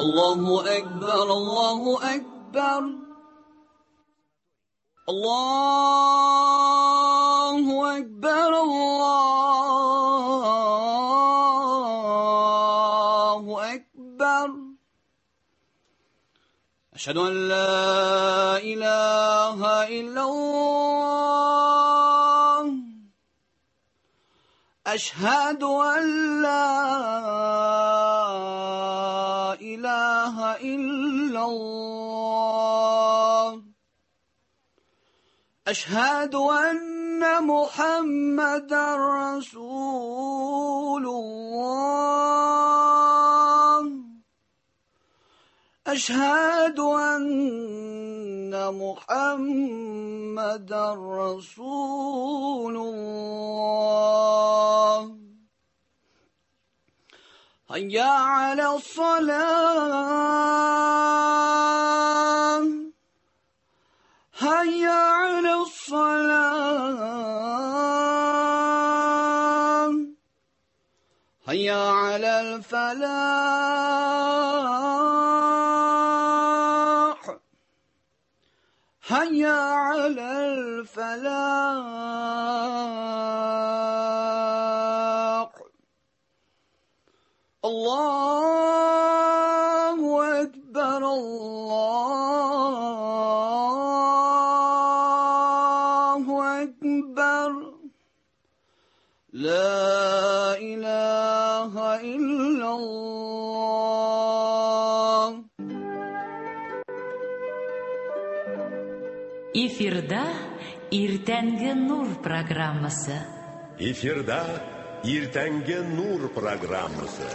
Allahu Ekber, Allahu Ekber. Allahu Ekber, Allahu Ekber. Eşhedü en la ilahe illallah. Eşhedü en la ilahe illallah. Eşhedü enne Muhammeden Resulullah. Eşhedü enne Muhammeden Resulullah. Hayya alas-salah. Hayya alas-salah. Hayya alal-falah. Hayya alal-falah. Allahu Ekber, Allahu Ekber. La ilahe illallah. Эфирда Иртәнге Нур программасы. Эфирда Иртәнге Нур программасы.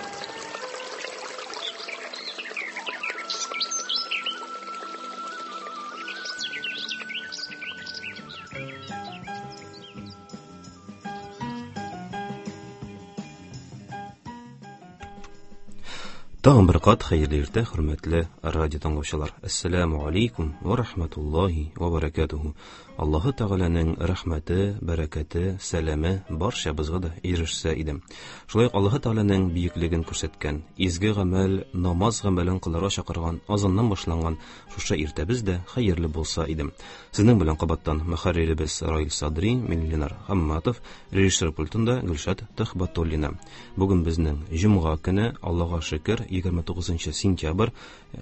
Тагын бер кат хәерле иртә, хөрмәтле радио тыңлаучылар. Ассаламу алейкум ва рахматуллахи ва баракатуху. Аллаһы Тәгаләнең рәхмәте, бәрәкәте, сәламе барчабызга да ирешсә иде. Шулай ук Аллаһы Тәгаләнең бөеклеген күрсәткән, изге гамәл, намаз гамәлен кылырга чакырган азаннан башланган шушы иртәбез дә хәерле булса иде. Сезнең белән кабаттан мөхәрриребез Раил Садри, мин Ленар Хамматов, режиссер пультында Гөлшат Төхбәтуллина. Бүген безнең җомга көне, Аллаһка шөкер, 29 сентябрь,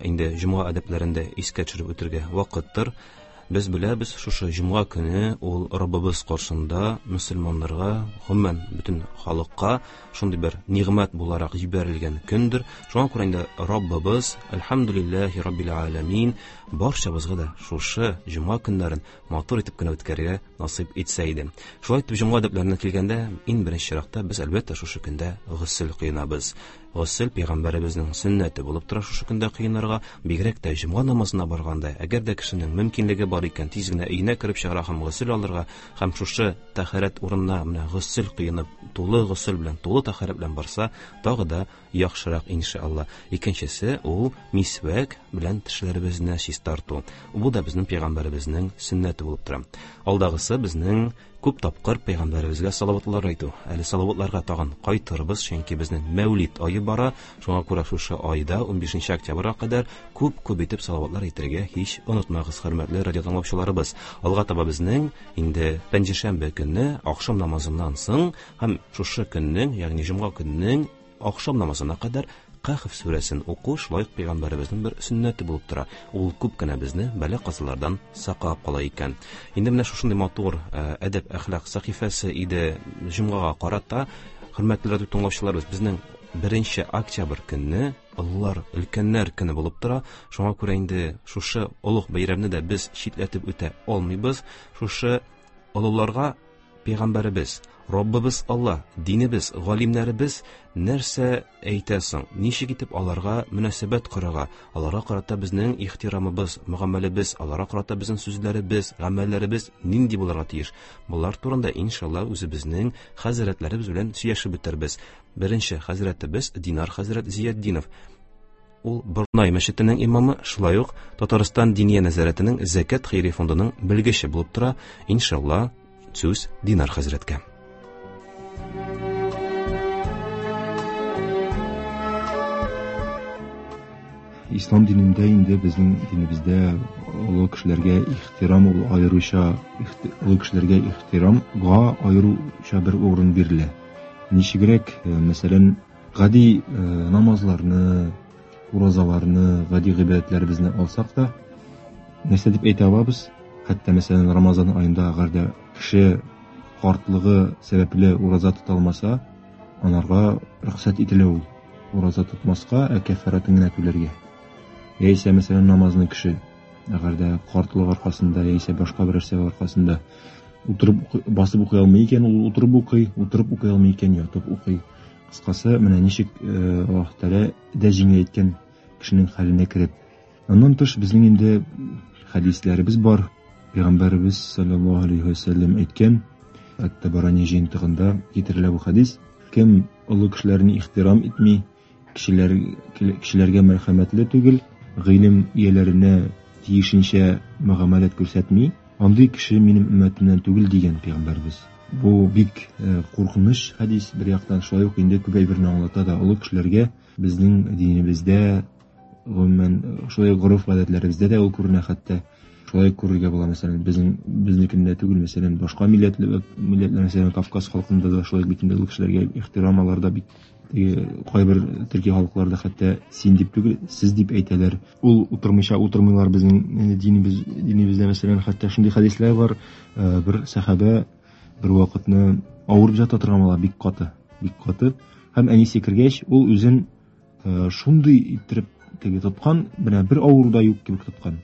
инде җомга әдәпләрендә искә төшереп үтергә вакыттыр. Без беләбез, шушы җомга көне ул Раббыбыз каршында мөселманнарга, гомумән бөтен халыкка шундый бер нигъмәт буларак җибәрелгән көндер. Шуңа күрә инде Раббыбыз, әлхәмдүлилләһи раббил аламин, барчабызга да шушы җомга көннәрен матур итеп кенә үткәрергә насыйп итсә иде. Шулай итеп җомга әдәпләренә килгәндә, иң беренче чиратта без әлбәттә шушы көндә госел кыйнабыз. Госел пәйгамбәребезнең сөннәте булып тора шушы көндә кыйнарга, бигрәк тә җомга намазына барганда, әгәр дә кешенең мөмкинлеге бар икән, тиз генә өенә кереп чыгара һәм госел алырга, һәм шушы тәһарәт урынына менә госел кыйнып, тулы госел белән, тулы тәһарәт белән барса, тагы да яхшырак иншалла. Икенчесе ул мисвәк белән тешләребезне чистарту. Бу да безнең пәйгамбәребезнең сөннәте булып тора. Алдагысы безнең күп тапкыр пәйгамбәребезгә салаватлар әйтү. Әле салаватларга тагын кайтырбыз, чөнки безнең Мәүлид ае бара. Шуңа күрә шушы айда 15 октябрьгә кадәр күп-күп итеп салаватлар әйтергә һич онытмагыз, хөрмәтле радио тыңлаучыларыбыз. Алга таба безнең инде пәнҗешәмбе көнне ахшам намазыннан соң һәм шушы көннең, ягъни җомга көннең ахшам намазына кадәр Кәһф сүрәсен уку шулай ук пәйгамбәребезнең бер сөннәте булып тора. Ул күп кенә безне бәла-казалардан саклап кала икән. Инде менә шушындый матур әдәп әхлак сәхифәсе иде җомгага карата. Хөрмәтле радио тыңлаучыларыбыз, безнең 1 октябрь көнне олылар, өлкәннәр көне булып тора. Шуңа күрә инде шушы олуг бәйрәмне дә без читләтеп үтә алмыйбыз. Шушы олыларга пәйгамбәребез, Раббыбыз Алла, динебез, галимнәребез нәрсә әйтә соң? Ничек итеп аларга мөнәсәбәт корырга? Аларга карата безнең ихтирамыбыз, мөгамәләбез, аларга карата безнең сүзләребез, гамәлләребез нинди булырга тиеш? Болар турында иншалла үзебезнең хәзрәтләребез белән сөйләшеп үтербез. Беренче хәзрәтебез Динар хәзрәт Зиятдинов. Ул Борнай мәчетенең имамы, шулай ук Татарстан Диния нәзарәтенең Зәкят хәйри фондының белгече булып тора. Иншалла, сүз Динар хәзрәткә. Ислам динендә инде безнең динебездә олы кешеләргә ихтирам ул аеруча олы кешеләргә ихтирамга аеруча бер урын бирелә. Ничегрәк, мәсәлән, гади намазларны, уразаларны, гади гыйбадәтләребезне алсак та, нәрсә дип әйтә алабыз? Хәтта, мәсәлән, Рамазан аенда әгәр дә кеше картлыгы сәбәпле ураза тота алмаса, анарга рөхсәт ителә ул ураза тотмаска, ә кәффарәтен генә түләргә. Яисә, мәсәлән, намазны кеше әгәр дә картлык аркасында яисә башка берәр сәбәп аркасында утырып басып укый алмый икән, ул утырып укый, утырып укый алмый икән, ятып укый. Кыскасы, менә ничек Аллаһ Тәгалә дә җиңеләйткән кешенең хәленә кереп. Аннан тыш безнең инде хәдисләребез бар. Пәйгамбәребез саллаллаһу алейхи ва сәлләм әйткән, Ат-Табарани җыентыгында китерелә бу хәдис. Кем олы кешеләрне ихтирам итми, кешеләр кешеләргә мәрхәмәтле түгел, гыйлем ияләренә тиешенчә мөгамәләт күрсәтми, андый кеше минем өммәтемнән түгел дигән пәйгамбәребез. Бу бик куркыныч хәдис, бер яктан шулай ук инде күп әйберне аңлата да. Олы кешеләргә безнең динебездә, гомумән, шулай ук гореф-гадәтләребездә дә ул күренә хәтта. Шулай күрергә була, мәсәлән, безнең безнекендә түгел, мәсәлән, башка милләтле милләтләр, мәсәлән, Кавказ халкында да шулай бит инде олы кешеләргә ихтирам аларда бик теге кайбер төрки халыкларда хәтта син дип түгел, сез дип әйтәләр. Ул утырмыйча утырмыйлар безнең динебез динебездә, мәсәлән, хәтта шундый хәдисләр бар, бер сәхабә бер вакытны авырып ята торган була, бик каты, бик каты. Һәм әнисе кергәч, ул үзен шундый иттереп теге тоткан, менә бер авыру да юк кебек тоткан.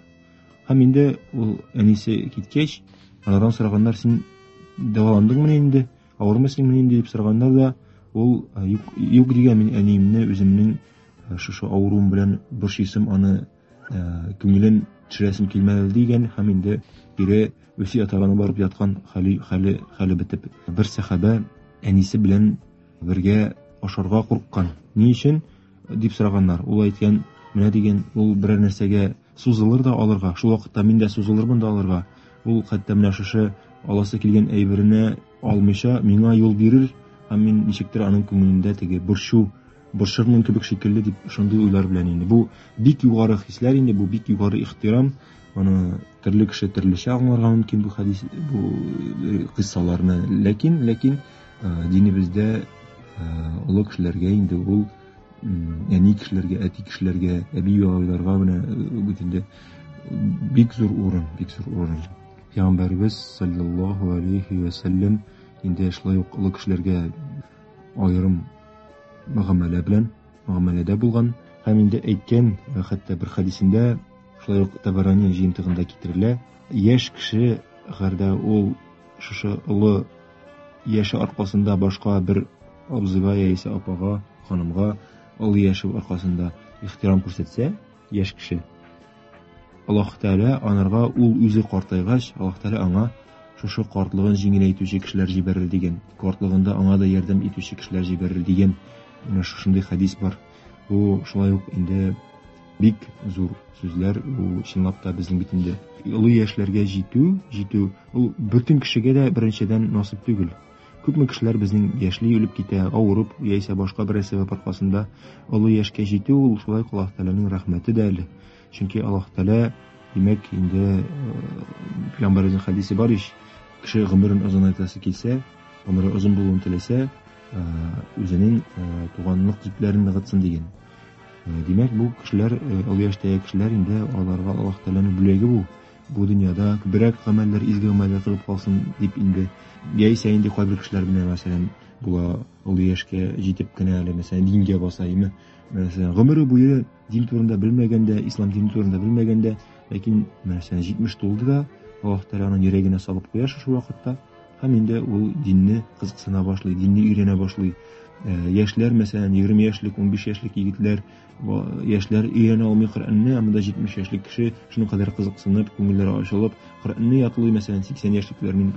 Һәм инде ул әнисе киткәч, анардан сораганнар, син дәваландыңмы инде, авырмыйсыңмы инде дип сораганнар да, ул юк, юк дигән, мин әниемне үземнең шушы авыруым белән борчыйсым, аны күңелен төшерәсем килмәде дигән һәм инде кире үзе ятагына барып яткан хәле, хәле, хәле бетеп. Бер сәхабә әнисе белән бергә ашарга курыккан. Ни өчен? дип сораганнар. Ул әйткән, менә дигән, ул берәр нәрсәгә сузылыр да алырга, шул вакытта мин дә сузылырмын да алырга. Ул хәтта менә шушы аласы килгән әйберенә алмыйча миңа юл бирер һәм мин ничектер аның күңелендә теге борчу борчырмын кебек шикелле дип шундый уйлар белән инде. Бу бик югары хисләр инде, бу бик югары ихтирам. Аны төрле кеше төрлечә аңларга мөмкин бу хәдис, бу кыйссаларны. Ләкин, ләкин динебездә олы кешеләргә инде ул әни кешеләргә, әти кешеләргә, әби бабайларга менә бит инде бик зур урын, бик зур урын. Пәйгамбәребез саллаллаһу алейхи ва сәлләм инде шулай ук олы кешеләргә аерым мөгамәлә белән, мөгамәләдә булган һәм инде әйткән, хәтта бер хәдисендә шулай ук Табарани җыентыгында китерелә, яшь кеше әгәр дә ул шушы олы яше аркасында башка бер абзыйга яисә апага, ханымга олы яше аркасында ихтирам күрсәтсә, яшь кеше, Аллаһ Тәгалә анарга ул үзе картайгач, Аллаһ Тәгалә аңа шушы картлыгын җиңеләйтүче кешеләр җибәрер дигән, картлыгында аңа да ярдәм итүче кешеләр җибәрер дигән менә шушындый хәдис бар. Бу шулай ук инде бик зур сүзләр, бу чынлап та безнең бит инде олы яшьләргә җитү, җитү ул бөтен кешегә дә беренчедән насыйп түгел. Күпме кешеләр безнең яшьли үлеп китә, авырып яисә башка берәр сәбәп аркасында олы яшькә җитү ул шулай ук Аллаһ Тәгаләнең рәхмәте дә әле. Чөнки Аллаһ Тәгалә, димәк, инде пәйгамбәребезнең хәдисе бар ич, кеше гомерен озынайтасы килсә, гомере озын булуын теләсә, үзенең туганлык җепләрен ныгытсын дигән. Димәк, бу кешеләр, олы яшьтәге кешеләр инде аларга Аллаһ Тәгаләнең бүләге бу. Бу дөньяда күбрәк гамәлләр, изге гамәлләр кылып калсын дип инде. Яисә инде кайбер кешеләр менә, мәсәлән, була олы яшькә җитеп кенә әле, мәсәлән, дингә баса, име? Мәсәлән, гомере буе дин турында белмәгәндә, ислам дине турында белмәгәндә, ләкин мәсәлән 70 тулды да, Аллаһ Тәгалә аның йөрәгенә салып куя шушы вакытта, һәм инде ул динне кызыксына башлый, динне өйрәнә башлый. Яшьләр, мәсәлән, 20 яшьлек, 15 яшьлек егетләр, яшьләр өйрәнә алмый Коръәнне, ә монда 70 яшьлек кеше шуның кадәр кызыксынып, күңелләре ачылып, Коръәнне ятлый, мәсәлән, 80 яшьлекләрнең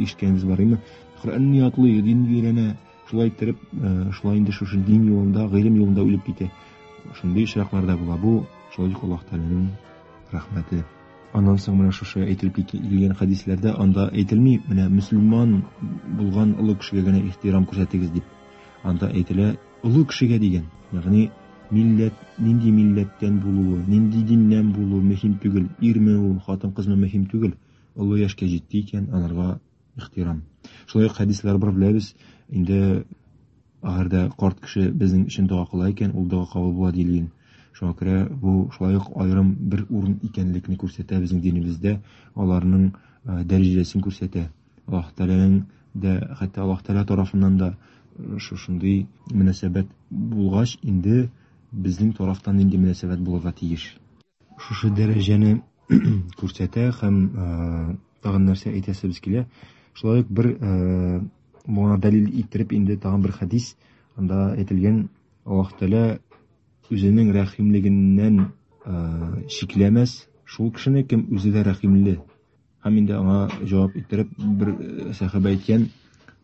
ишеткәнебез бар име? Коръәнне ятлый, динне өйрәнә, шулай иттереп, шулай инде шушы дин юлында, гыйлем юлында үлеп китә. Шундый очраклар да була. Бу шулай ук Аллаһ Тәгаләнең рәхмәте. Аннан соң менә шушы әйтелеп килгән хәдисләрдә анда әйтелми, менә мөселман булган олы кешегә генә ихтирам күрсәтегез дип. Анда әйтелә олы кешегә дигән, ягъни Милләт, нинди милләттән булуы, нинди диннән булуы мөһим түгел, ирме ул, хатын-кызмы мөһим түгел. Олы яшькә җитте икән, анарга ихтирам. Шулай ук хәдисләр бар беләбез. Инде әгәр дә карт кеше безнең өчен дога кыла икән, ул дога кабул була диелгән. Шуңа күрә бу шулай ук аерым бер урын икәнлекне күрсәтә безнең динебездә, аларның дәрәҗәсен күрсәтә. Аллаһ Тәгаләнең дә, хәтта Аллаһ Тәгалә тарафыннан да шушындый мөнәсәбәт булгач, инде безнең тарафтан нинди мөнәсәбәт булырга тиеш? Шушы дәрәҗәне күрсәтә һәм тагын нәрсә әйтәсебез килә. Шулай ук бер моңа дәлил иттереп инде тагын бер хәдис, анда әйтелгән, Аллаһ Тәгалә үзенең рәхимлегеннән чикләмәс шул кешене, кем үзе дә рәхимле. Һәм инде аңа җавап иттереп бер сәхабә әйткән,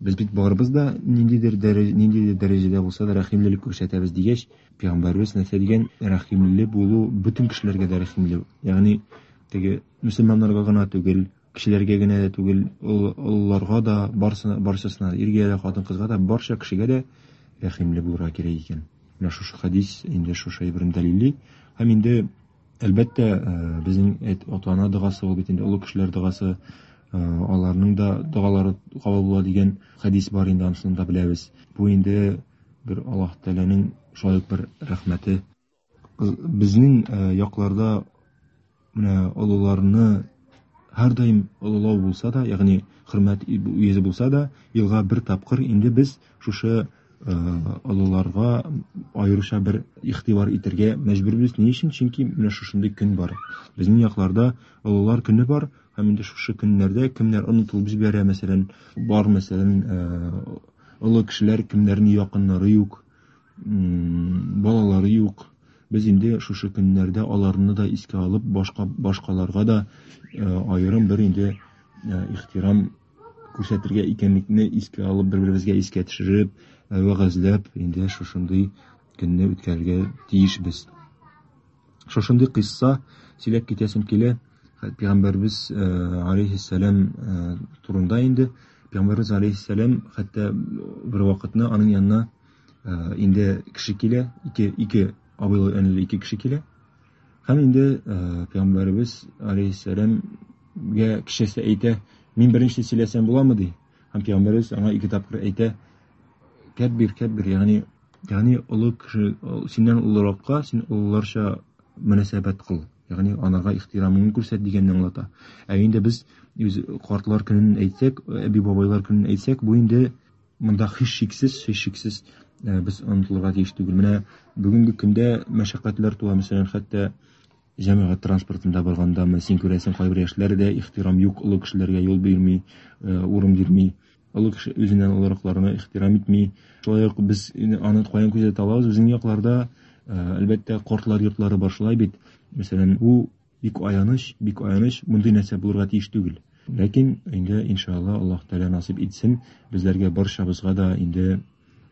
без бит барыбыз да ниндидер дәрәҗә, ниндидер дәрәҗәдә булса да рәхимлелек күрсәтәбез дигәч, пәйгамбәребез нәрсә дигән? Рәхимле булу бөтен кешеләргә дә рәхимле. Ягъни теге мөселманнарга гына түгел, кешеләргә генә дә түгел, олыларга да, барсына, барчасына, иргә дә, хатын-кызга да, барча кешегә дә рәхимле булырга кирәк икән. Менә шушы хәдис инде шушы әйберне дәлилли. Һәм инде әлбәттә, безнең ата-ана догасы ул бит инде олы кешеләр догасы, аларның да догалары кабул була дигән хәдис бар инде, анысын да беләбез. Бу инде бер Аллаһ Тәгаләнең шулай ук бер рәхмәте. Безнең якларда менә олыларны һәрдаим олылау булса да, ягъни хөрмәт йөзе булса да, елга бер тапкыр инде без шушы олыларга аеруча бер игътибар итәргә мәҗбүрбез. Ни өчен? Чөнки менә шушындый көн бар. Безнең якларда олылар көне бар, һәм инде шушы көннәрдә кемнәр онытылып җибәрә, мәсәлән, бар, мәсәлән, олы кешеләр, кемнәрнең якыннары юк, балалары юк. Без инде шушы көннәрдә аларны да искә алып, башкаларга да аерым бер инде ихтирам күрсәтергә икәнлекне искә алып, бер-беребезгә искә төшереп, вәгазьләп, инде шушындый көнне үткәрергә тиешбез. Шушындый кыйсса сөйләп китәсем килә. Пәйгамбәрбез алейһиссәлам турында инде. Пәйгамбәрбез алейһиссәлам хәтта бер вакытны аның янына инде кеше килә, ике абыйлы энеле ике кеше килә. Һәм инде Пәйгамбәребез алейһиссәламгә кешесе әйтә, мин беренче сөйләсәм буламы ди. Һәм Пәйгамбәребез аңа ике тапкыр әйтә, кәббир, кәббир, ягъни олы кеше, синнән олыракка син олыларча мөнәсәбәт кыл, ягъни анарга ихтирамыңны күрсәт дигәнне аңлата. Ә инде без үз картлар көнен әйтсәк, әби-бабайлар көнен әйтсәк, бу инде монда һичшиксез, без онытылырга тиеш түгел. Менә бүгенге көндә мәшәкатьләр туа, мәсәлән, хәтта җәмәгать транспортында баргандамы, син күрәсең, кайбер яшьләр дә ихтирам юк, олы кешеләргә юл бирми, урын бирми, олы кеше үзеннән олыракларына ихтирам итми. Шулай ук без аны каян күзәтә алабыз? Безнең якларда, әлбәттә, картлар йортлары бар, шулай бит. Мәсәлән, бу бик аяныч, бик аяныч, мондый нәрсә булырга тиеш түгел. Ләкин инде иншалла Аллаһ Тәгалә насыйп итсен, безләргә барчабызга да инде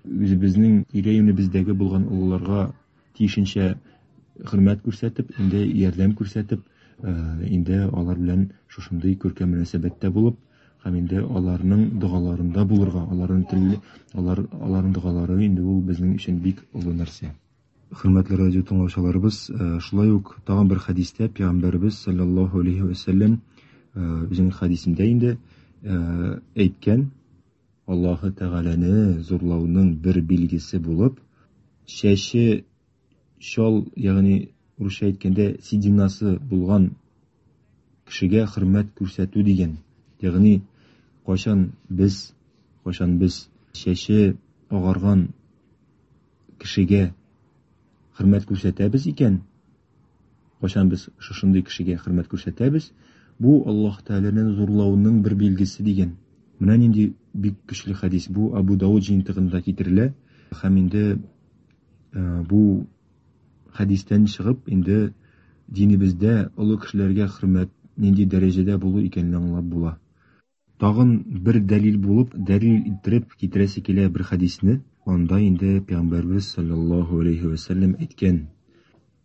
үзебезнең тирә-юнебездәге булган олыларга тиешенчә хөрмәт күрсәтеп, инде ярдәм күрсәтеп, инде алар белән шушындый күркәм мөнәсәбәттә булып, һәм инде аларның догаларында булырга, аларның теле, алар, аларның догалары инде ул безнең өчен бик олы нәрсә. Хөрмәтле радио тыңлаучыларыбыз, шулай ук тагын бер хәдистә Пәйгамбәребез саллаллаһу алейхи ва сәлләм, үзенең хәдисендә инде, әйткән, Аллаһы Тәгаләне зурлауның бер билгесе булып, чәче чал, ягъни русча әйткәндә сединасы булган кешегә хөрмәт күрсәтү дигән. Ягъни кайчан без чәче агарган кешегә хөрмәт күрсәтәбез икән, кайчан без шушындый кешегә хөрмәт күрсәтәбез, бу Аллаһ Тәгаләнең зурлауның бер билгесе дигән. Менә нинди бик көчле хәдис бу, Абу Дауд җыентыгында китерелә. Һәм инде бу хәдистән чыгып, инде динебездә олы кешеләргә хөрмәт нинди дәрәҗәдә булу икәнен аңлап була. Тагын бер дәлил булып, дәлил иттереп китерәсе килә бер хәдисне. Анда инде Пәйгамбәрбез саллаллаһу алейхи ва сәлләм әйткән: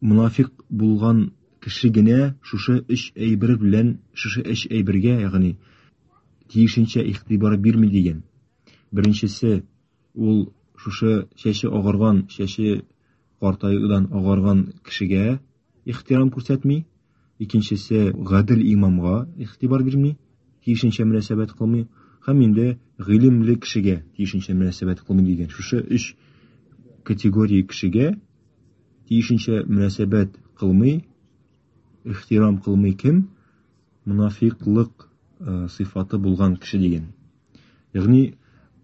мунафиқ булган кеше генә шушы өч әйбер белән, шушы өч әйбергә, ягъни тиешенчә игътибар бирми дигән. Беренчесе, ул шушы чәче агарган, чәче картаюдан агарган кешегә ихтирам күрсәтми, икенчесе гадел имамга игътибар бирми, тиешенчә мөнәсәбәт кылмый һәм инде гыйлемле кешегә тиешенчә мөнәсәбәт кылмый дигән. Шушы өч категория кешегә тиешенчә мөнәсәбәт кылмый, ихтирам кылмый кем? Монафиклык сыйфаты булган кеше дигән. Ягъни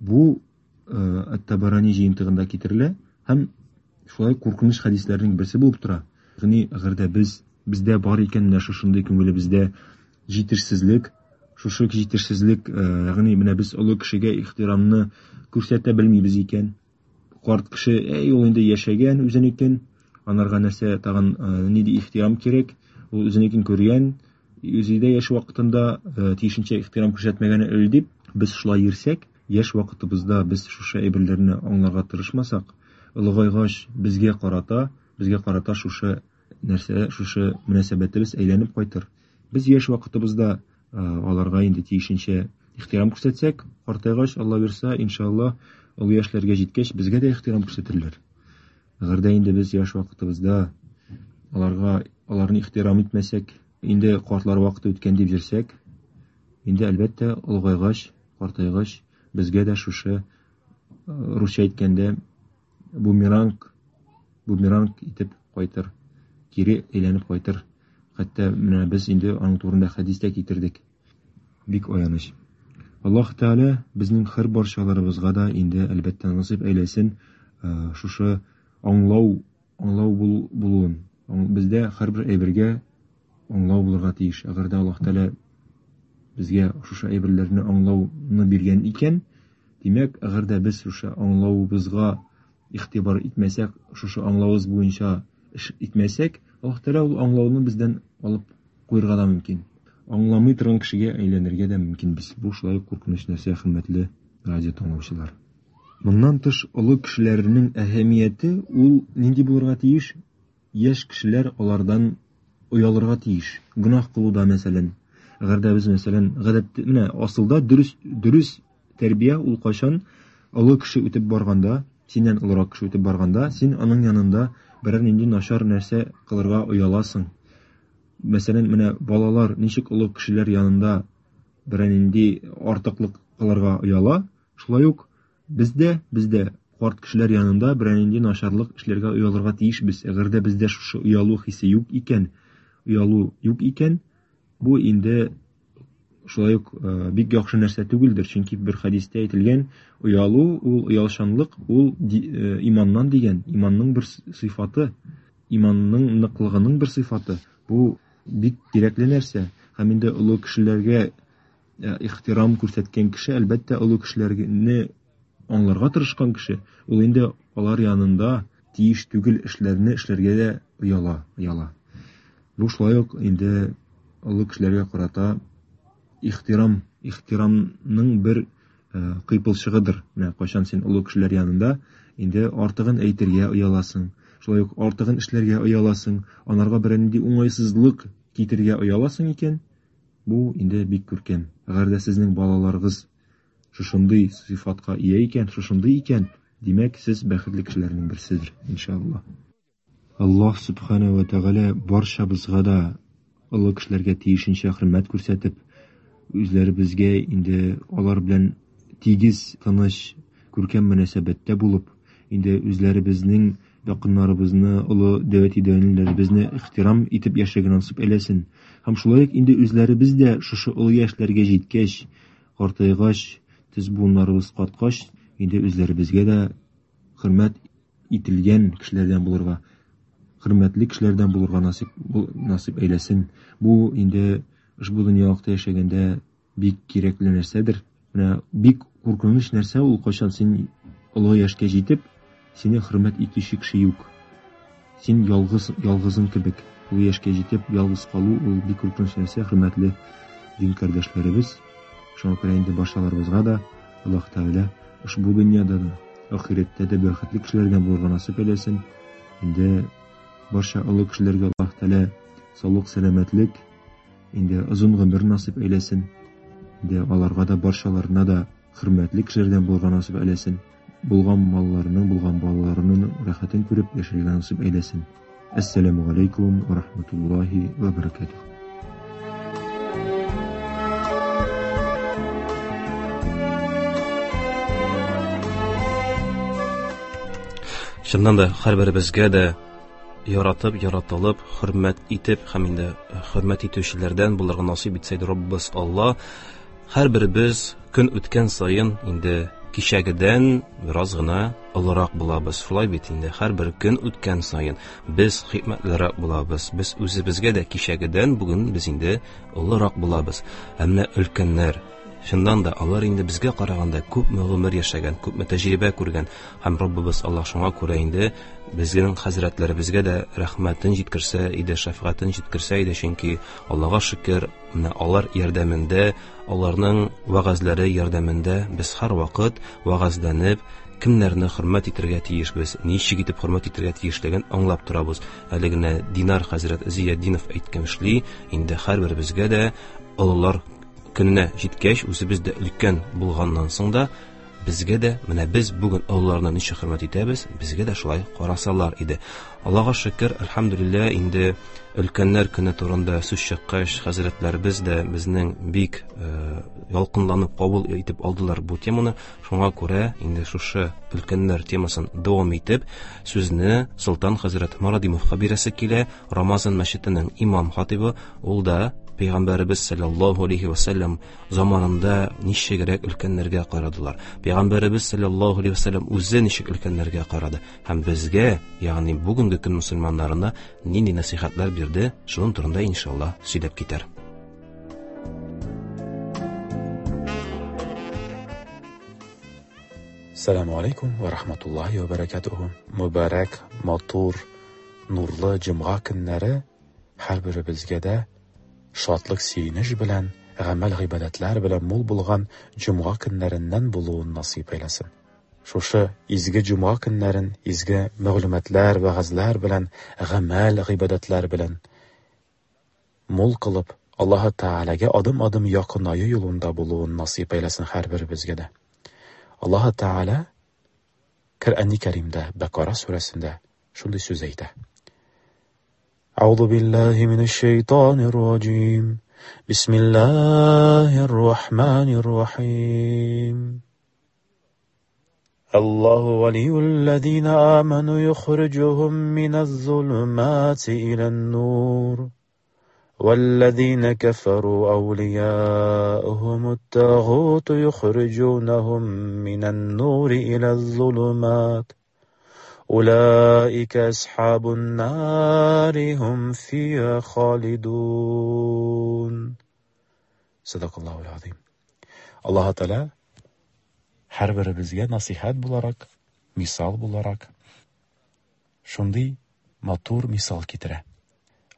бу Ат-Табарани җыентыгында китерелә һәм шулай куркыныч хәдисләрнең берсе булып тора. Ягъни әгәр дә без бездә бар икән менә шушындый күңелебездә җитешсезлек, шушы җитешсезлек, ягъни менә без олы кешегә ихтирамны күрсәтә белмибез икән, карт кеше, әй, ул инде яшәгән үзенекен, анарга нәрсә тагын нинди ихтирам кирәк, ул үзенекен күргән, үзе дә яшь вакытында тиешенчә ихтирам күрсәтмәгән әле дип, без шулай йөрсәк, яшь вакытыбызда без шушы әйберләрне аңларга тырышмасак, олыгайгач безгә карата, безгә карата шушы нәрсә, шушы мөнәсәбәтебез әйләнеп кайтыр. Без яшь вакытыбызда аларга инде тиешенчә ихтирам күрсәтсәк, картайгач, Алла бирса, иншалла, олы яшьләргә җиткәч, безгә дә ихтирам күрсәтерләр. Әгәр дә инде без яшь вакытыбызда аларга аларны ихтирам итмәсәк, инде картлар вакыты үткән дип йөрсәк, инде әлбәттә, олыгайгач, картайгач, безгә дә шушы русча әйткәндә бумеранг, бумеранг итеп кайтыр, кире әйләнеп кайтыр. Хәтта менә без инде аның турында хәдис тә китердек. Бик аяныч. Аллаһ Тәгалә безнең һәр барчаларыбызга да инде әлбәттә насыйп әйләсен шушы аңлау, аңлау булуын. Бездә һәрбер әйбергә аңлау булырга тиеш. Әгәр дә Аллаһ Тәгалә безгә шушы әйберләрне аңлауны биргән икән, димәк, әгәр дә без шушы аңлавыбызга игътибар итмәсәк, шушы аңлавыбыз буенча эш итмәсәк, Аллаһ Тәгалә ул аңлауны бездән алып куерга да мөмкин. Аңламый торган кешегә әйләнергә дә мөмкинбез. Бу шулай ук куркыныч нәрсә, хөрмәтле радио тыңлаучылар. Моннан тыш, олы кешеләрнең әһәмияте ул нинди булырга тиеш? Яшь кешеләр алардан оялырга тиеш. Гөнаһ кылуда, мәсәлән. Әгәр дә без, мәсәлән, гадәттә, менә асылда дөрес, дөрес тәрбия ул кайчан олы кеше үтеп барганда, синнән олырак кеше үтеп барганда, син аның янында берәр нинди начар нәрсә кылырга ояласың. Мәсәлән, менә балалар ничек олы кешеләр янында берәр нинди артыклык кылырга ояла, шулай ук без дә, без дә карт кешеләр янында берәр нинди начарлык эшләргә оялырга тиешбез. Әгәр дә бездә шушы оялу хисе юк икән, оялу юк икән, бу инде шулай ук бик яхшы нәрсә түгелдер, чөнки бер хәдистә әйтелгән, оялу ул оялчанлык, ул иманнан дигән, иманның бер сыйфаты, иманның ныклыгының бер сыйфаты. Бу бик кирәкле нәрсә. Һәм инде олы кешеләргә ихтирам күрсәткән кеше, әлбәттә, олы кешеләрне аңларга тырышкан кеше, ул инде алар янында тиеш түгел эшләрне эшләргә дә ояла, ояла. Бу шулай ук инде олы кешеләргә карата ихтирам, ихтирамның бер кыйпылчыгыдыр. Менә кайчан син олы кешеләр янында инде артыгын әйтергә ояласың, шулай ук артыгын эшләргә ояласың, анарга берәр нинди уңайсызлык китерергә ояласың икән, бу инде бик күркәм. Әгәр дә сезнең балаларыгыз шушындый сыйфатка ия икән, шушындый икән, димәк, сез бәхетле кешеләрнең берседер, иншалла. Аллаһ Субхана ва Тәгалә барчабызга да олы кешеләргә тиешенчә хөрмәт күрсәтеп, үзләребезгә инде алар белән тигез, тыныч, күркәм мөнәсәбәттә булып, инде үзләребезнең якыннарыбызны, олы дәүләт идәнләребезне ихтирам итеп яшәргә насыйп әйләсен. Һәм шулай ук инде үзләребез дә шушы олы яшьләргә җиткәч, картайгач, тез буыннарыбыз каткач, инде үзләребезгә дә хөрмәт ителгән кешеләрдән булырга, хөрмәтле кешеләрдән булырга насыйп әйләсен. Бу инде ошбу дөньялыкта яшәгәндә бик кирәкле нәрсәдер. Менә бик куркыныч нәрсә ул, кайчан син олы яшькә җитеп, сине хөрмәт итүче кеше юк. Син ялгыз, ялгызың кебек. Олы яшькә җитеп, ялгыз калу ул бик куркыныч нәрсә, хөрмәтле дин кардәшләребез. Шуңа күрә инде барчаларыбызга да Аллаһ Тәгалә ошбу дөньяда да, ахирәттә дә бәхетле кешеләрдән булырга насыйп әйләсен. Инде барча олы кешеләргә Аллаһ Тәгалә саулык, сәламәтлек, инде озын гомер насыйп әйләсен. Инде аларга да, барчаларына да хөрмәтле кешеләрдән булырга насыйп әйләсен. Булган малларының, булган балаларының рәхәт рәхмәтен күреп яшәргә насыйп әйләсен. Әссәламү галәйкүм вә рахматуллаһи вә бәрәкәтүһ. Чыннан да һәрберебезгә дә яратып, яратылып, хөрмәт итеп һәм инде хөрмәт итүчеләрдән булырга насыйп итсә иде Раббыбыз Алла. Һәрберебез көн үткән саен инде кичәгедән бераз гына олырак булабыз. Шулай бит инде, һәрбер көн үткән саен без хикмәтлерәк булабыз. Без үзебезгә дә кичәгедән бүген без инде олырак булабыз. Ә менә өлкәннәр, чыннан да алар инде безгә караганда күпме гомер яшәгән, күпме тәҗрибә күргән. Һәм Раббыбыз Аллаһ шуңа күрә инде безнең хәзрәтләребезгә дә рәхмәтен җиткерсә иде, шәфкатен җиткерсә иде, чөнки Аллаһга шөкер, менә алар ярдәмендә, аларның вәгазьләре ярдәмендә без һәрвакыт вәгазьләнеп, кемнәрне хөрмәт итәргә тиешбез, ничек итеп хөрмәт итәргә тиешлеген аңлап торабыз. Әле генә Динар хәзрәт Зиятдинов әйткәншли, инде һәрберебезгә дә олылар көненә җиткәч, үзебез дә өлкән булганнан соң да, безгә дә, менә без бүген олыларны ничек хөрмәт итәбез, безгә дә шулай карасалар иде. Аллаһка шөкер, әлхәмдүлилләһ, инде өлкәннәр көне турында сүз чыккач, хәзрәтләребез дә безнең бик ялкынланып кабул итеп алдылар бу теманы. Шуңа күрә инде шушы өлкәннәр темасын дәвам итеп, сүзне Солтан хәзрәт Марадимовка бирәсе килә. Рамазан мәчетенең имам хатибы, ул да Пәйгамбәребез саллаллаһу алейхи ва саллям заманында ничегрәк өлкәннәргә карадылар. Пәйгамбәребез саллаллаһу алейхи ва саллям үзе ничек өлкәннәргә карады һәм безгә, ягъни бүгенге көн мөселманнарына нинди нәсыйхәтләр бирде, шуның турында иншалла сөйләп китәр. Сәламу алейкум ва рахматуллахи ва баракатуху. Мөбарәк, матур, нурлы җомга көннәре һәрберебезгә дә шатлык, сөенеч белән, гамәл-гыйбадәтләр белән мул булган җомга көннәреннән булуын насыйп әйләсен. Шушы изге җомга көннәрен изге мәгълүматлар, вәгазьләр белән, гамәл-гыйбадәтләр белән мул кылып, Аллаһы Тәгаләгә адым-адым якынаю юлында булуын насыйп әйләсен һәрберебезгә дә. Аллаһы Тәгалә Коръәни Кәримдә, Бәкара сүрәсендә шундый сүз әйтә. Әгъузу биллаһи минәш шәйтанир раҗим. Бисмиллаһир рахманир рахим. Аллаһу валиюллазина аману юхриҗухум миназ-зулумати илан-нур. والذين كفروا أولياؤهم الطاغوت يخرجونهم من النور إلى الظلمات أولئك أصحاب النار هم فيها خالدون. صدق الله العظيم. Аллаһ Тәгалә һәрберебезгә насыйхат буларак, мисал буларак шундый матур мисал китерә.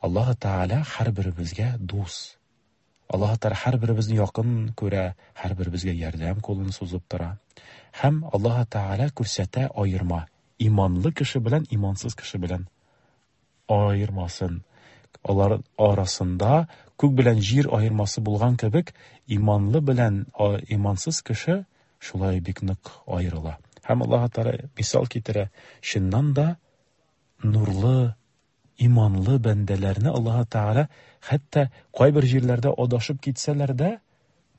Аллаһ Тәгалә һәрберебезгә дус. Аллаһ Тәгалә һәрберебезне якын күрә, һәрберебезгә ярдәм кулын сузып тора. Һәм Аллаһ Тәгалә күрсәтә аерма иманлы кеше белән имансыз кеше белән аермасын. Алар арасында күк белән җир аермасы булган кебек, иманлы белән имансыз кеше шулай бик нык аерыла. Һәм Аллаһ Тәгалә мисал китерә, чыннан да нурлы, иманлы бәндәләрне Аллаһ Тәгалә хәтта кайбер җирләрдә адашып китсәләр дә,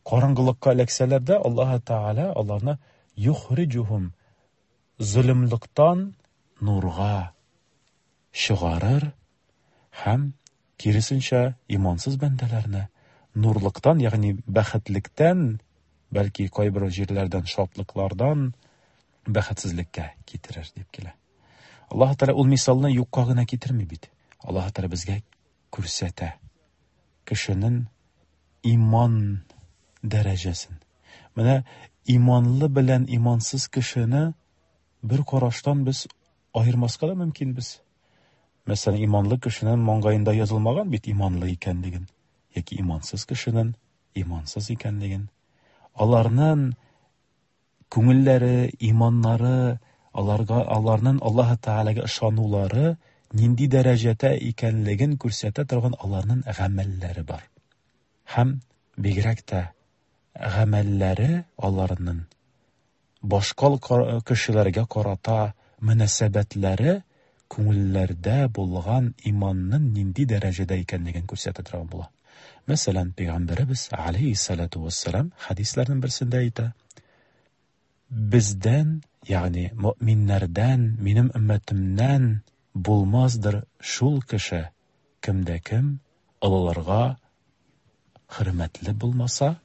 караңгылыкка эләксәләр дә, Аллаһ Тәгалә аларны юхриҗухум золымлыктан нурга чыгарыр һәм киресенчә имансыз бәндәләрне нурлыктан, ягъни бәхетлектән, бәлки кайбер җирләрдән шатлыклардан бәхетсезлеккә китерер дип килә. Аллаһ Тәгалә ул мисалны юкка гына китерми бит. Аллаһ Тәгалә безгә күрсәтә кешенең иман дәрәҗәсен. Менә иманлы белән имансыз кешене бер караштан без аермаска да мөмкинбез. Мәсәлән, иманлы кешенең маңгаенда язылмаган бит иманлы икәнлеген, яки имансыз кешенең имансыз икәнлеген. Аларның күңелләре, иманнары, аларга, аларның Аллаһ Тәгаләгә ышанулары нинди дәрәҗәдә икәнлеген күрсәтә торган аларның гамәлләре бар. Һәм бигрәк тә гамәлләре аларның башка кешеләргә карата мөнәсәбәтләре күңелләрдә булган иманның нинди дәрәҗәдә икәнлеген күрсәтә торган була. Мәсәлән, Пәйгамбәребез алейһиссалату вассалам хәдисләрнең берсендә әйтә: Бездән, ягъни мөэминнәрдән, минем өммәтемнән булмаздыр шул кеше, кемдә кем олыларга хөрмәтле булмаса,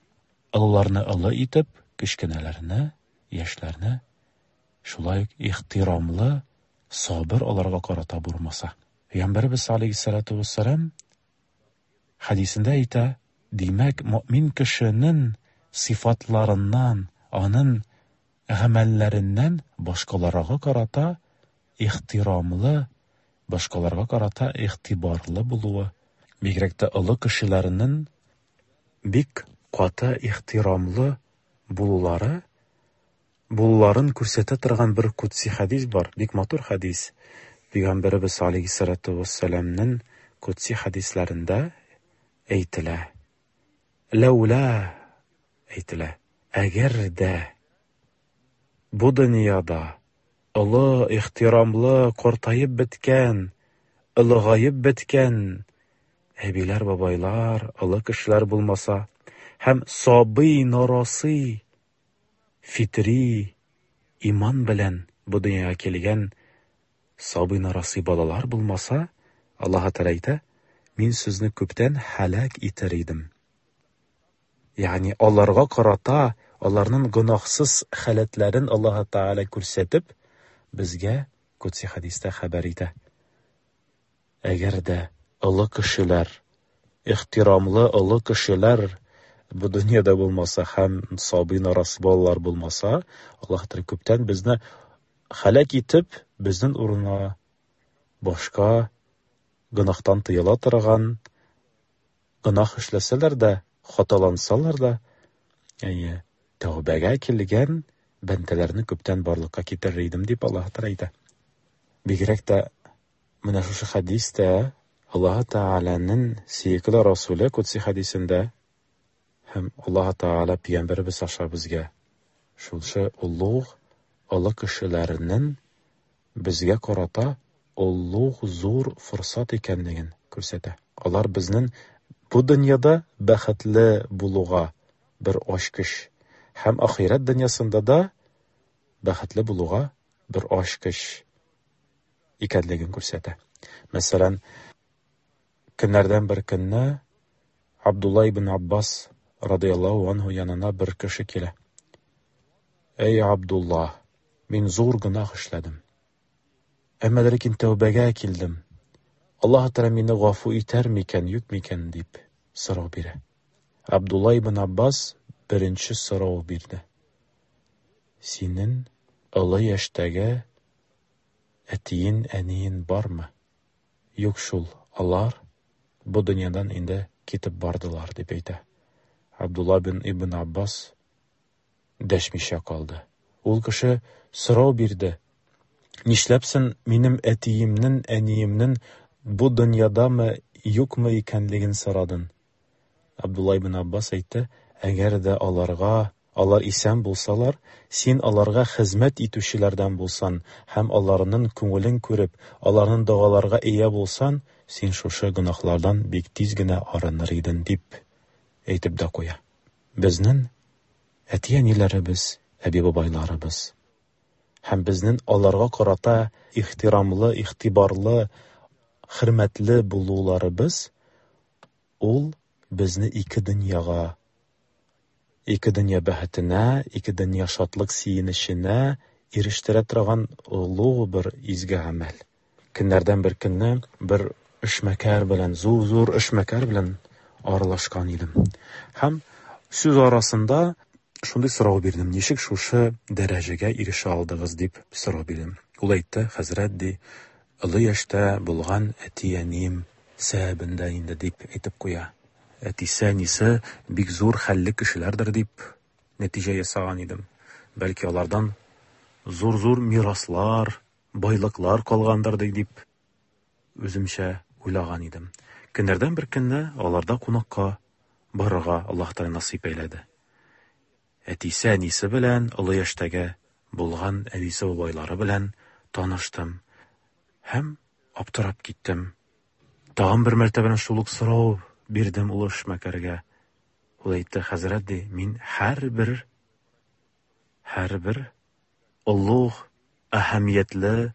олыларны олы итеп, кечкенәләрне, яшьләрне шулай ук ихтирамлы, сабыр аларга карата булмаса. Пәйгамбәребез алейһиссалату вассалам хәдисендә әйтә, димәк, мөэмин кешенең сыйфатларыннан, аның гамәлләреннән башкаларга карата ихтирамлы, башкаларга карата игътибарлы булуы, бигрәк тә олы кешеләрнең бик каты ихтирамлы булулары, булуларын күрсәтә торган бер кудси хәдис бар, бик матур хәдис. Пәйгамбәребез алейһиссалату вассаламның кудси хәдисләрендә әйтелә. Ләүлә әйтелә. Әгәр дә бу дөньяда олы, ихтирамлы, картаеп беткән, олыгаеп беткән әбиләр, бабайлар, олы кешеләр булмаса һәм сабый, нарасый, фитри иман белән бу дөньяга килгән сабый, нарасый балалар булмаса, Аллаһ Тәгалә әйтә, мин сезне күптән һәлак итәр идем. Ягъни аларга карата аларның гөнаһсыз халәтләрен Аллаһ Тәгалә күрсәтеп, безгә кудси хәдистә хәбәр итә. Әгәр дә олы кешеләр, ихтирамлы олы кешеләр бу дөньяда булмаса һәм сабый нарасый балалар булмаса, Аллаһ Тәгалә күптән безне һәлак итеп, безнең урынга башка гөнаһтан тыела торган, гөнаһ эшләсәләр дә, хаталансалар да, әйе, тәүбәгә килгән бәндәләрне күптән барлыкка китерер идем дип Аллаһ Тәгалә әйтә. Бигрәк тә менә шушы хәдистә Аллаһ Тәгаләнең сөекле Расуле кудси хәдисендә һәм Аллаһ Тәгалә пәйгамбәребез аша безгә шушы олуг олы кешеләрнең безгә карата олуг зур форсат икәнлеген күрсәтә. Алар безнең бу дөньяда бәхетле булуга бер ачкыч һәм ахирәт дөньясында да бәхетле булуга бер ачкыч икәнлеген күрсәтә. Мәсәлән, көннәрдән бер көнне Абдулла ибн Аббас радыяллаһу анһу янына бер кеше килә. Әй Абдулла, мин зур гөнаһ эшләдем. Әмма ләкин тәүбәгә килдем. Аллаһ Тәгалә мине гафу итәр микән, юк микән дип сорау бирә. Абдулла ибн Аббас беренче сорау бирде. Синең олы яшьтәге әтиең, әниең бармы? Юк шул, алар бу дөньядан инде китеп бардылар дип әйтә. Абдулла бин ибн Аббас дәшмичә калды. Ул кеше сорау бирде. Нишләпсең минем әтиемнең, әниемнең бу дөньядамы, юкмы икәнлеген сорадың? Абдулла ибн Аббас әйтте, әгәр дә аларга, алар исән булсалар, син аларга хезмәт итүчеләрдән булсан һәм аларның күңелен күреп, аларның догаларга ия булсан, син шушы гөнаһлардан бик тиз генә арыныр идең дип әйтеп дә куя. Безнең әти-әниләребез, әби-бабайларыбыз һәм безнең аларга карата ихтирамлы, игътибарлы, хөрмәтле булуларыбыз ул безне ике дөньяга, ике дөнья бәхетенә, ике дөнья шатлык сөенеченә ирештерә торган олуг бер изге гамәл. Көннәрдән бер көнне бер эшмәкәр белән, зур-зур эшмәкәр белән аралашкан идем. Һәм сүз арасында шундый сорау бирдем: ничек шушы дәрәҗәгә ирешә алдыгыз дип сорау бирдем. Ул әйтте, хәзрәт ди, олы яшьтә булган әти-әнием сәбәбендә инде дип әйтеп куя. Әтисе, әнисе бик зур хәлле кешеләрдер дип нәтиҗә ясаган идем. Бәлки алардан зур-зур мираслар, байлыклар калгандыр дип үземчә уйлаган идем. Көннәрдән бер көнне аларда кунакка барырга Аллаһ Тәгалә насыйп әйләде. Әтисе, әнисе белән, олы яшьтәге булган әбисе, бабайлары белән таныштым. Һәм аптырап киттем. Тагын бер мәртәбә шул ук сорау бирдем ул эшмәкәргә. Ул әйтте, хәзрәт, ди, мин һәрбер һәрбер олуг, әһәмиятле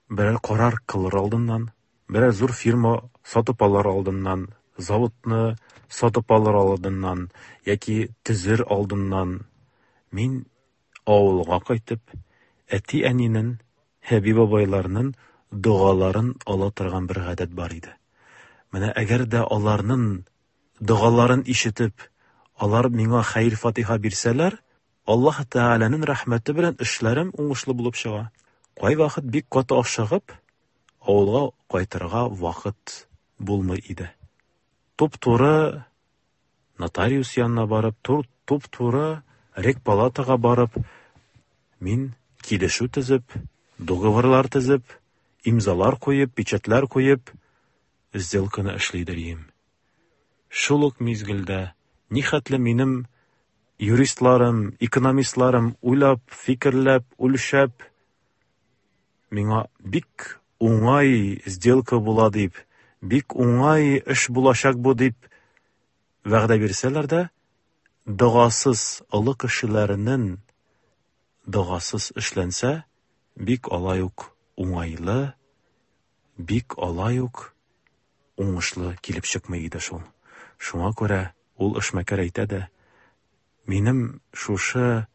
берәр карар кылыр алдыннан, берәр зур фирма сатып алыр алдыннан, заводны сатып алыр алдыннан яки төзер алдыннан мин авылга кайтып, әти-әнинең, әби-бабайларның догаларын ала торган бер гадәт бар иде. Менә әгәр дә аларның догаларын ишетеп, алар миңа хәер-фатиха бирсәләр, Аллаһ Тәгаләнең рәхмәте белән эшләрем уңышлы булып чыга. Кайвакыт бик каты ашыгып, авылга кайтырга вакыт булмый иде. Туп-туры нотариус янына барып, туп-туры регпалатага барып, мин килешү төзеп, договорлар төзеп, имзалар куеп, печатьләр куеп, сделканы эшлидер идем. Шул ук мизгелдә нихәтле минем юристларым, экономистларым уйлап, фикерләп, үлчәп, миңа бик уңай сделка була дип, бик уңай эш булачак бу дип вәгъдә бирсәләр дә, догасыз олы кешеләрнең догасыз эшләнсә, бик алай ук уңайлы, бик алай ук уңышлы килеп чыкмый иде шул. Шуңа күрә ул эшмәкәр әйтә дә, минем шушы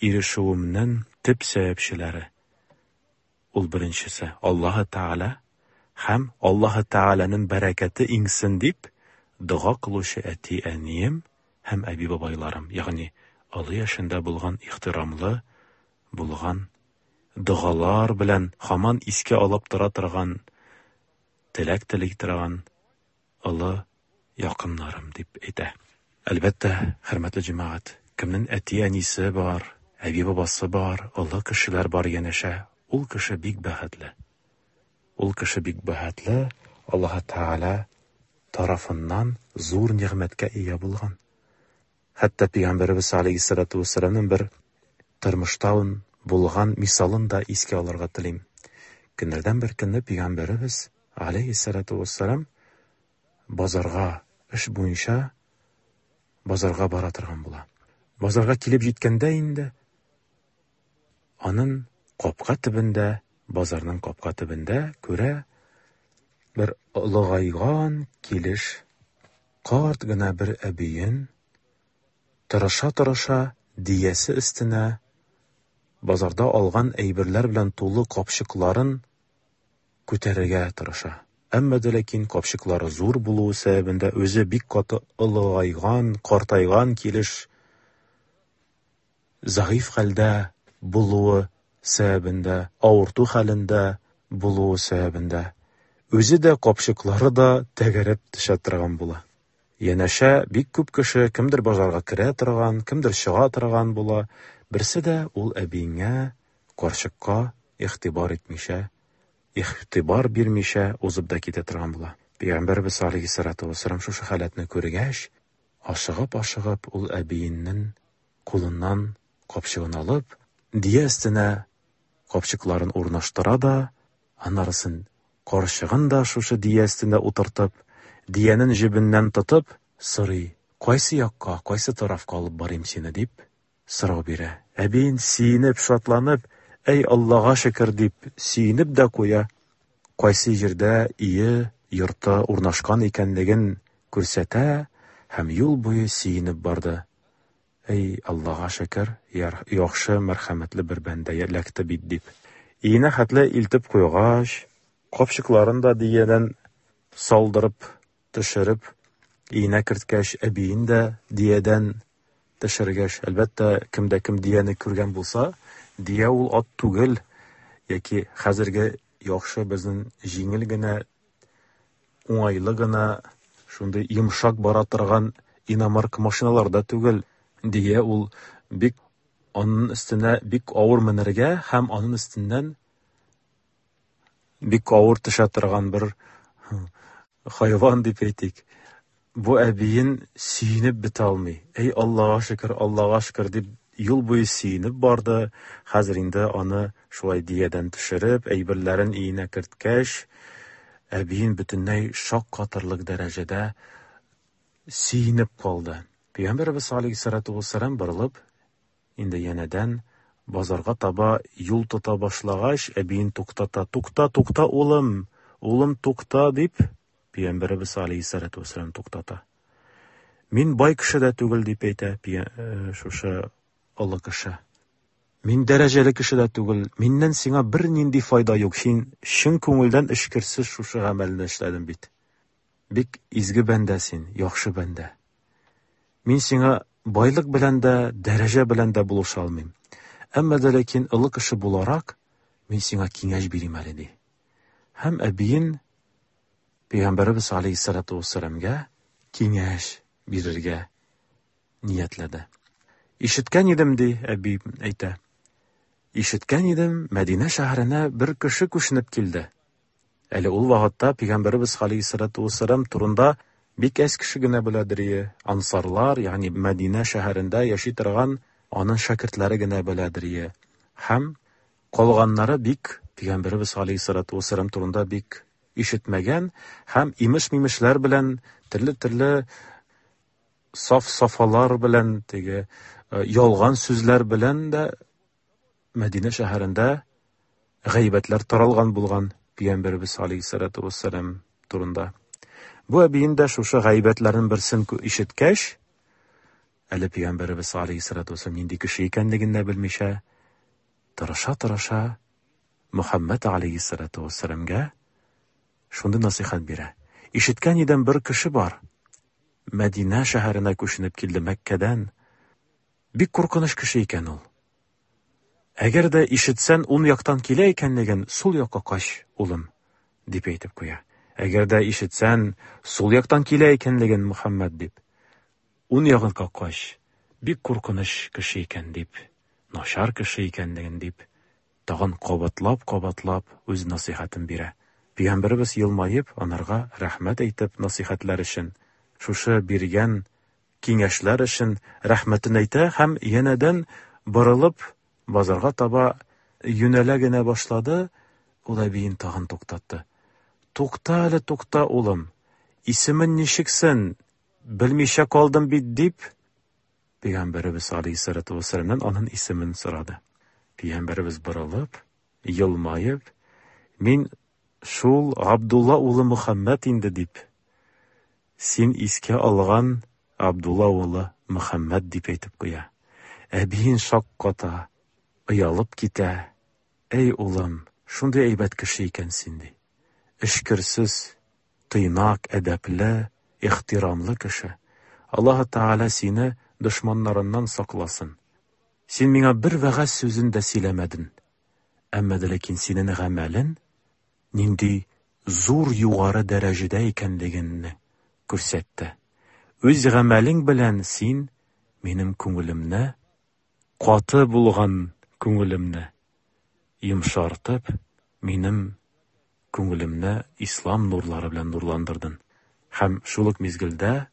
ирешүемнең төп сәбәпчеләре ул беренчесе Аллаһы Тәгалә һәм Аллаһы Тәгаләнең бәрәкәте иңсен дип дога кылучы әти-әнием һәм әби-бабайларым, ягъни олы яшендә булган ихтирамлы булган догалар белән һаман искә алып тора торган, теләк тели торган олы якыннарым дип әйтә. Әлбәттә, хөрмәтле җәмәгать, кемнең әти-әнисе бар, әби-бабасы бар, олы кешеләр бар янәшә, ул кеше бик бәхетле. Ул кеше бик бәхетле, Аллаһ Тәгалә тарафыннан зур нигъмәткә ия булган. Хәтта Пәйгамбәребез алейһиссалату вассаламның бер тормышта булган мисалын да искә алырга телим. Көннәрдән бер көнне Пәйгамбәребез алейһиссалату вассалам базарга эш буенча базарга бара торган була. Базарга килеп җиткәндә инде аның капка төбендә, базарның капка төбендә күрә бер олыгайган килеш карт гына бер әбиен тырыша-тырыша диясе өстенә базарда алган әйберләр белән тулы капчыкларын күтәрергә тырыша. Әмма дә ләкин капчыклары зур булуы сәбәбендә үзе бик каты олыгайган, картайган килеш зәгыйфь хәлдә булуы сәбәбендә, авырту хәлендә булуы сәбәбендә үзе дә капчыклары да тәгәрәп төшә торган була. Янәшә бик күп кеше, кемдер базарга керә торган, кемдер чыга торган була. Берсе дә ул әбиеңә, карчыкка игътибар итмичә, игътибар бирмичә узып да китә торган була. Пәйгамбәрбез алейһиссалату вассалам шушы халәтне күргәч, ашыгып-ашыгып ул әбиеннең кулыннан капчыгын алып, дия өстенә капчыкларын урнаштыра да, анарысын карчыгын да шушы дия өстендә утыртып, диянең җебеннән тотып, сорый: "Кайсы якка, кайсы тарафка алып барыйм сине?" дип сорау бирә. Әбиен сөенеп, шатланып, "Әй Аллага шөкер" дип сөенеп дә куя. Кайсы җирдә өе, йорты урнашкан икәнлеген күрсәтә һәм юл буе сөенеп барды. Әй Аллага шөкер, яхшы, мәрхәмәтле бер бәндә эләкте бит дип. Өенә хәтле илтеп куйгач, капчыкларын да диядән салдырып, төшереп, өенә керткәч, әбиен дә диядән төшергәч, әлбәттә, кемдә кем дияне күргән булса, дия ул ат түгел, яки хәзерге яхшы безнең җиңел генә, уңайлы гына, шундый йомшак бара торган иномарка машиналар да түгел. Дия ул бик аның өстенә бик авыр менергә һәм аның өстеннән бик авыр төшә торган бер хайван дип әйтик. Бу әбиен сөенеп бетә алмый. Әй Аллага шөкер, Аллага шөкер дип юл буе сөенеп барды. Хәзер инде аны шулай диядән төшереп, әйберләрен өенә керткәч, әбиен бөтенләй шаккатырлык дәрәҗәдә сөенеп калды. Пәйгамбәребез алейһиссалату вассалам борылып, инде янәдән базарга таба юл тота башлагач, әбиен туктата. Тукта, тукта, улым, улым, тукта, дип, Пәйгамбәребез алейһиссалату вассалам туктата. Мин бай кеше дә түгел, дип әйтә шушы олы кеше. Мин дәрәҗәле кеше дә түгел, миннән сиңа бернинди файда юк, син чын күңелдән эчкерсез шушы гамәлне эшләдең бит. Бик изге бәндә син, яхшы бәндә. Мин сиңа байлык белән дә, дәрәҗә белән дә булыша алмыйм. Әмма дә ләкин олы кеше буларак, мин сиңа киңәш бирим әле, ди. Һәм әбиен Пәйгамбәребез алейһиссалату вассаламга киңәш бирергә ниятләде. Ишеткән идем, ди әби әйтә. Ишеткән идем, Мәдинә шәһәренә бер кеше күченеп килде. Әле ул вакытта Пәйгамбәребез алейһиссалату вассалам турында бик әз кеше генә беләдер ие. Ансарлар, ягъни Мәдинә шәһәрендә яши торган аның шәкертләре генә беләдер ие. Һәм калганнары бик Пәйгамбәребез алейһиссалату вассалам турында бик ишетмәгән һәм имеш-мимешләр белән төрле-төрле саф-сафалар белән, теге ялган сүзләр белән дә Мәдинә шәһәрендә гайбәтләр таралган булган Пәйгамбәребез алейһиссалату вассалам турында. Бу әбиен дә шушы гайбәтләрнең берсен ишеткәч, әле Пәйгамбәребез алейһиссалату вассалам нинди кеше икәнлеген дә белмичә, тырыша-тырыша Мөхәммәд алейһиссалату вассаламга шундый насыйхат бирә. Ишеткән идем, бер кеше бар. Мәдинә шәһәренә күченеп килде Мәккәдән. Бик куркыныч кеше икән ул. Әгәр дә ишетсән, ун яктан килә икәнлеген, сул якка кач, улым, дип әйтеп куя. Әгәр дә ишетсән, сул яктан килә икәнлеген, Мөхәммәд, дип, ун ягынка кач, бик куркыныч кеше икән, дип, начар кеше икәнлеген, дип, тагын кабатлап-кабатлап үз насыйхатын бирә. Пәйгамбәребез елмаеп, анарга рәхмәт әйтеп насыйхатлар өчен, шушы биргән киңәшләр өчен рәхмәтен әйтә һәм янәдән борылып базарга таба юнәлә генә башлады, ул әбиен тагын туктатты. Тукта әле, тукта, улым. Исемен ничексен? Белмичә калдым бит, дип, Пәйгамбәребез алейһиссалату вассаламнан аның исемен сорады. Пәйгамбәребез борылып, елмаеп, мин шул Абдулла улы Мөхәммәд инде, дип, син искә алган Абдулла улы Мөхәммәд дип әйтеп куя. Әбиен шакката, оялып китә. Әй, улым, шундый әйбәт кеше икән син, ди. Эчкерсез, тыйнак, әдәпле, ихтирамлы кеше. Аллаһ Тәгалә сине дошманнарыннан сакласын. Син миңа бер вәгазь сүзен дә сөйләмәдең. Әмма дә ләкин синең гамәлең нинди зур югары дәрәҗәдә икәнлегеңне күрсәтте. Үз гамәлең белән син минем күңелемне, каты булган күңелемне йомшартып, минем күңелемне ислам нурлары белән нурландырдың. Һәм шул ук мизгелдә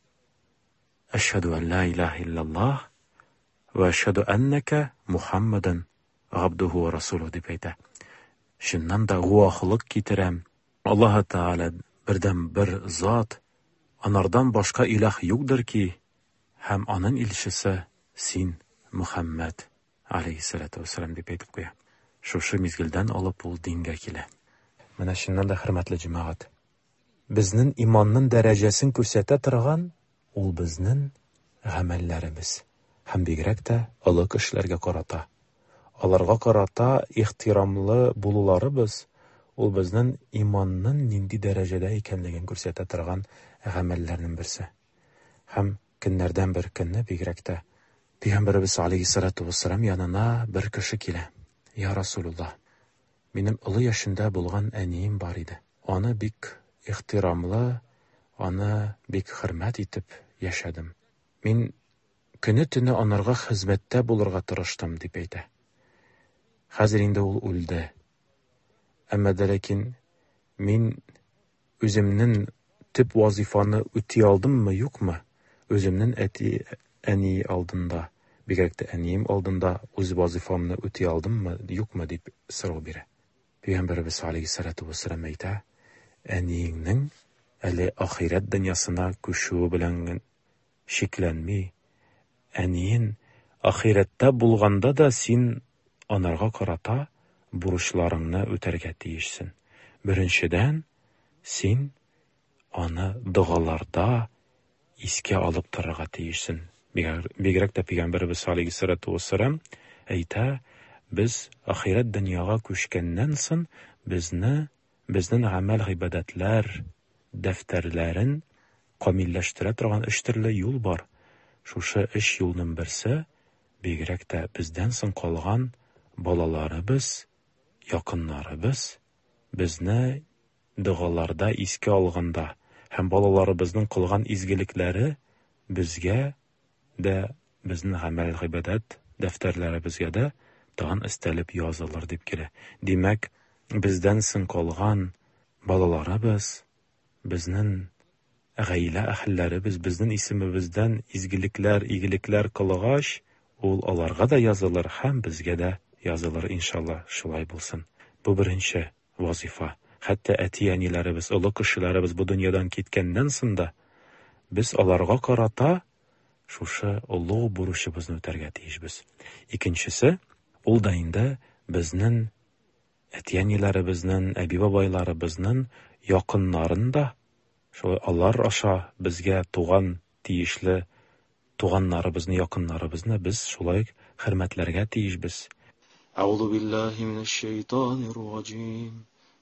Әшһәдү ан ла илаһа иллаллаһ ва әшһәдү әннәкә Мухаммадан габдуху ва расулуһу дип әйтә. Чыннан да гуаһлык китерәм. Аллаһ Тәгалә бердән бер зат, анардан башка илаһ юкдыр ки, һәм аның илчесе син, Мухаммад алейһиссалату вассалам дип әйтеп куя. Шушы мизгелдән алып ул дингә килә. Менә чыннан да, хөрмәтле җәмәгать, безнең иманның дәрәҗәсен күрсәтә торган ул безнең гамәлләребез һәм бигрәк тә олы кешеләргә карата. Аларга карата ихтирамлы булуларыбыз ул безнең иманның нинди дәрәҗәдә икәнлеген күрсәтә торган гамәлләрнең берсе. Һәм көннәрдән бер көнне бигрәк тә Пәйгамбәребез алейһиссалату вассалам янына бер кеше килә. Я Расулуллаһ, минем олы яшендә булган әнием бар иде. Аны бик ихтирамлы, аны бик хөрмәт итеп яшәдем. Мин көне-төне анарга хезмәттә булырга тырыштым, дип әйтә. Хәзер инде ул үлде. Әмма дә ләкин мин үземнең төп вазифаны үти алдыммы, юкмы? Үземнең әти әни алдында. Бигрәк тә әнием алдында үз вазифамны үти алдыммы, юкмы дип сорау бирә. Пәйгамбәребез алейһиссалату вассалам әйтә, әниеңнең әле ахирәт дөньясына күчүе белән шикләнми, әниен ахирәттә булганда да син анарга карата бурычларыңны үтәргә тиешсең. Беренчедән, син аны догаларда искә алып торырга тиешсең. Бигрәк тә Пәйгамбәребез алейһиссалату вассалам әйтә, без ахирәт дөньяга күчкәннән соң безне безнең гамәл-гыйбадәтләр дәфтәрләрен камилләштерә торган өч төрле юл бар. Шушы өч юлның берсе бигрәк тә бездән соң калган балаларыбыз, якыннарыбыз безне догаларда искә алганда һәм балаларыбызның кылган изгелекләре безгә дә, безнең гамәл-гыйбадәт дәфтәрләребезгә дә тагын өстәлеп язылыр дип килә. Димәк, бездән соң калган балаларыбыз, безнең гаилә әһелләребез безнең исемебездән изгелекләр, игелекләр кылгач, ул аларга да язылыр һәм безгә дә язылыр, иншалла, шулай булсын. Бу беренче вазифа. Хәтта әти-әниләребез, олы кешеләребез бу дөньядан киткәннән соң да без аларга карата шушы олуг бурычыбызны үтәргә тиешбез. Икенчесе, ул да инде безнең әти-әниләребезнең, әби-бабайларыбызның якыннарын да шулай алар аша безгә туган тиешле туганнарыбызны, якыннарыбызны без шулай хөрмәтләргә тиешбез. أعوذ بالله من الشيطان الرجيم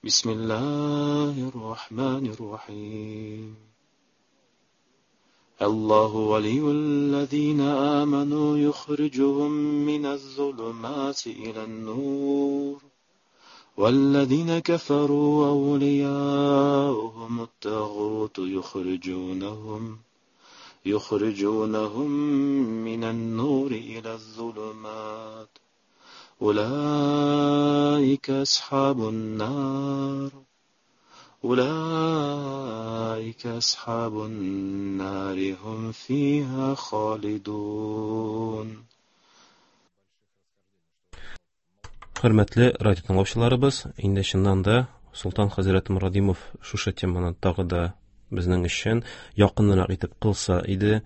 بسم الله الرحمن الرحيم الله ولي الذين آمنوا يخرجهم من الظلمات إلى النور والذين كفروا أولياؤهم الطاغوت يخرجونهم من النور إلى الظلمات أولئك أصحاب النار أولئك أصحاب النار هم فيها خالدون. Хөрмәтле радио тыңлаучыларыбыз, инде чыннан да Солтан хәзрәт Мурадимов шушы теманы тагы да безнең өчен якынрак итеп кылса иде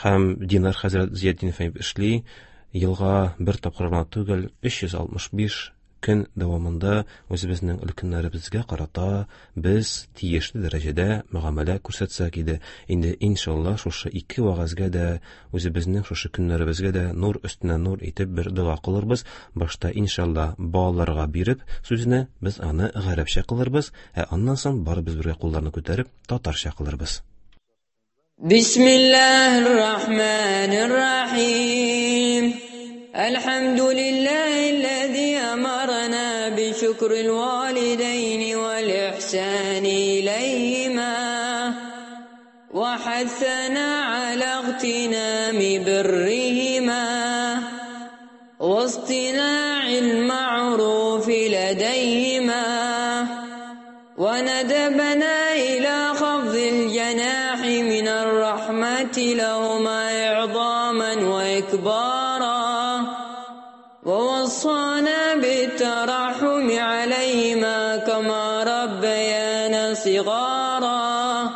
һәм Динар хәзрәт Зиятдинов эшли, елга бер тапкыр гына түгел, 365 көн дәвамында үзебезнең өлкәннәребезгә карата без тиешле дәрәҗәдә мөгамәлә күрсәтсәк иде. Инде иншалла шушы ике вәгазьгә дә, үзебезнең шушы көннәребезгә дә нур өстенә нур итеп бер дога кылырбыз. Башта иншалла балаларга биреп сүзне без аны гарәпчә кылырбыз, ә аннан соң барыбыз бергә кулларны күтәреп татарча кылырбыз. Бисмиллаһир-рахманир-рахим. الحمد لله الذي أمرنا بشكر الوالدين والإحسان إليهما وحثنا على اغتنام برهما واصطناع المعروف لديهما وندبنا إلى خفض الجناح من الرحمة لهما إعظاما وإكبارا ووصانا بالترحم عليهما كما ربيانا صغارا.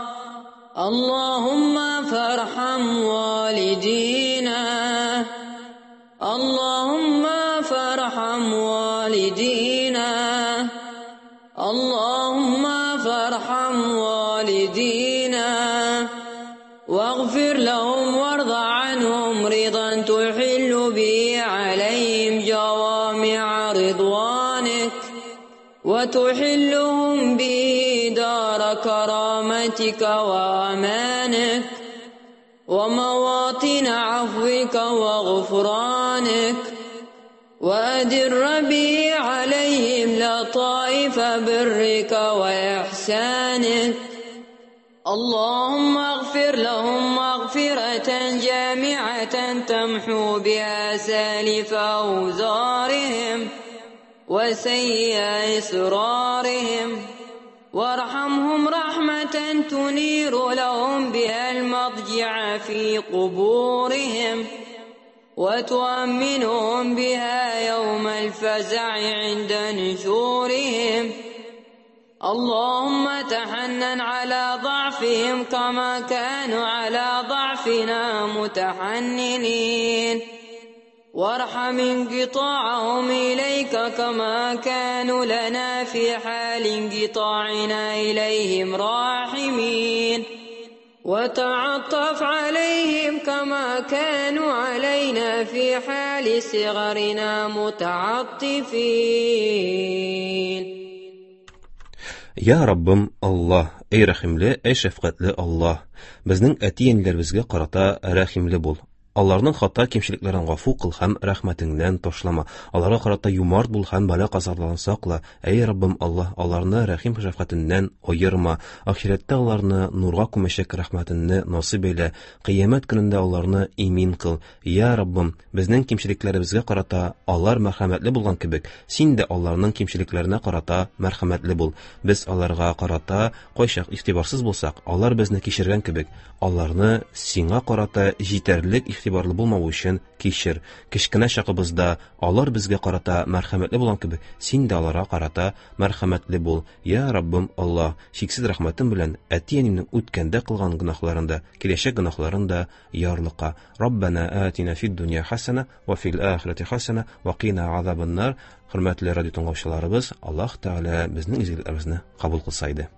اللهم فارحم والدينا، اللهم فارحم والدينا، اللهم فارحم والدينا، واغفر لهم وارض عنهم رضا تحل به عليهم جوامع رضوانك وتحلهم به دار كرامتك وأمانك ومواطن عفوك وغفرانك وأدر به عليهم لطائف برك وإحسانك. اللهم اغفر لهم مغفرة جامعة تمحو بها سالف أوزارهم وسيء إسرارهم وارحمهم رحمة تنير لهم بها المضجع في قبورهم وتؤمنهم بها يوم الفزع عند نشورهم. اللهم تحنن على ضعفهم كما كانوا على ضعفنا متحننين، وارحم انقطاعهم إليك كما كانوا لنا في حال انقطاعنا إليهم راحمين، وتعطف عليهم كما كانوا علينا في حال صغرنا متعطفين. Я Раббым Аллаһ, эй рәхимле, эй шәфкатьле Аллаһ, безнең әти-әниләребезгә карата рәхимле бул. Аларның хата кимчелекләрен гафу кыл һәм рәхмәтеңнән ташлама. Аларга карата юмарт бул һәм бәла-казалардан сакла. Әй Раббым Аллаһ, аларны рәхим шәфкатеннән аерма. Ахирәттә аларны нурга күмәчәк рәхмәтеңне насыйп әйлә. Кыямәт көнендә аларны имин кыл. Я Раббым, безнең кимчелекләребезгә карата алар мәрхәмәтле булган кебек, син дә аларның кимчелекләренә карата мәрхәмәтле бул. Без аларга карата кайчак игътибарсыз булсак, алар безне кичергән кебек, аларны сиңа карата җитәрлек игътибарлы булмавы өчен кичер. Кечкенә чагыбызда алар безгә карата мәрхәмәтле булган кебек, син дә аларга карата мәрхәмәтле бул. Я Раббым Аллаһ, чиксез рәхмәтең белән әти-әнимнең үткәндә кылган гөнаһларын да, киләчәк гөнаһларын да ярлыка. Раббана атина фид дөнья хасана ва фил ахирати хасана ва кина азабаннар. Хөрмәтле радио тыңлаучыларыбыз, Аллаһ Тәгалә безнең изгелекләребезне кабул кылса иде.